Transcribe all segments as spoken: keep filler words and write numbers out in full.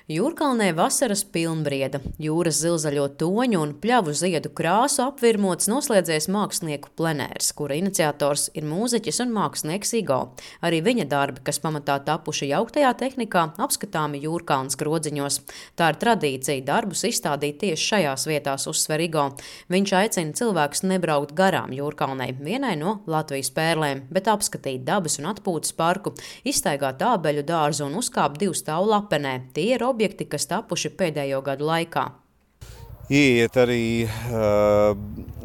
Jūrkalnē vasaras pilnbrieda, jūras zilzaļo toņu un pļavu ziedu krāsu apvirmots noslēdzies mākslinieku plenērs, kura iniciators ir mūziķis un mākslinieks Igo. Arī viņa darbi, kas pamatā tapuši jauktajā tehnikā, apskatāmi Jūrkalnes grodziņos. Tā ir tradīcija darbus izstādīt tieši šajās vietās, uzsver Igo. Viņš aicina cilvēkus nebraukt garām Jūrkalnei, vienai no Latvijas pērlēm, bet apskatīt dabas un atpūtas parku, izstaigāt ābeļu dārzu un uzkāpt divu stāvu lapenē. Tie ir objekti, kas tapuši pēdējo gadu laikā. Ieiet arī uh,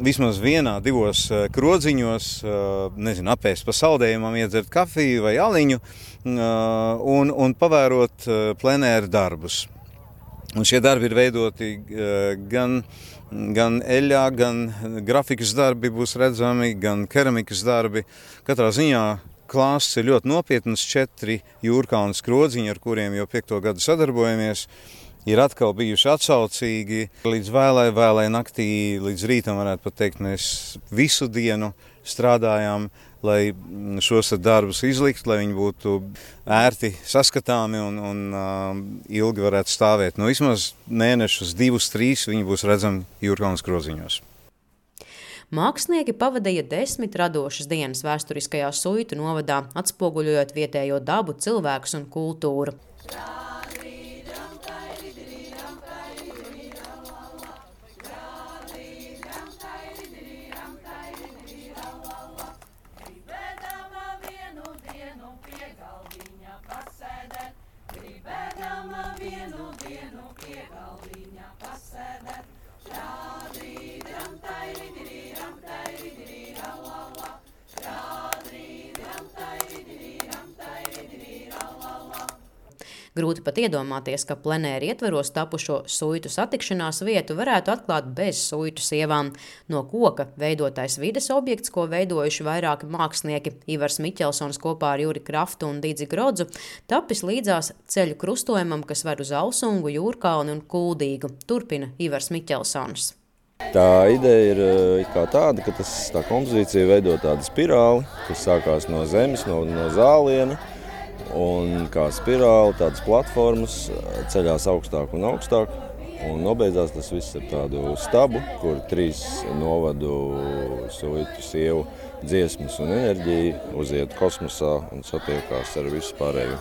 vismaz vienā, divos uh, krodziņos, uh, nezinu, apēst pa saldējumam, iedzert kafiju vai aliņu uh, un, un pavērot uh, plenēru darbus. Un šie darbi ir veidoti uh, gan, gan eļļā, gan grafikas darbi būs redzami, gan keramikas darbi. Katrā ziņā klāsts ir ļoti nopietns, četri Jūrkalnes krodziņi, ar kuriem jau piekto gadu sadarbojamies, ir atkal bijuši atsaucīgi. Līdz vēlai, vēlai naktī, līdz rītam varētu pat teikt, mēs visu dienu strādājām, lai šos darbus izlikt, lai viņi būtu ērti saskatāmi un, un uh, ilgi varētu stāvēt. Nu, vismaz mēnešus, divus, trīs viņi būs redzami Jūrkalnes krodziņos. Mākslinieki pavadīja desmit radošas dienas vēsturiskajā Suitu novadā, atspoguļojot vietējo dabu, cilvēkus un kultūru. Grūti pat iedomāties, ka plenēri ietveros tapušo suitu satikšanās vietu varētu atklāt bez suitu sievām. No koka veidotais vides objekts, ko veidojuši vairāki mākslinieki, Ivars Miķelsons kopā ar Juri Kraftu un Didzi Grodzu, tapis līdzās ceļu krustojumam, kas ved uz Alsungu, Jūrkalni un Kuldīgu, turpina Ivars Miķelsons. Tā ideja ir kā tāda, ka tas, tā kompozīcija veido tādu spirāli, kas sākās no zemes, no, no zāliena. Un kā spirāli, tādas platformas ceļās augstāk un augstāk. Un nobeidzās tas viss ar tādu stabu, kur trīs novadu suitu sievu dziesmas un enerģiju uziet kosmosā un satiekās ar visu pārējo.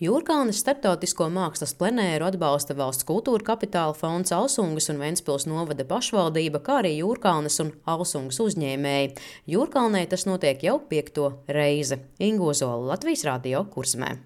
Jūrkalnes starptautisko mākslas plenēru atbalsta Valsts kultūra kapitāla fonds, Alsungas un Ventspils novada pašvaldība, kā arī Jūrkalnes un Alsungas uzņēmēji. Jūrkalnē tas notiek jau piekto reizi. Inga Ozola, Latvijas radio Kursmē.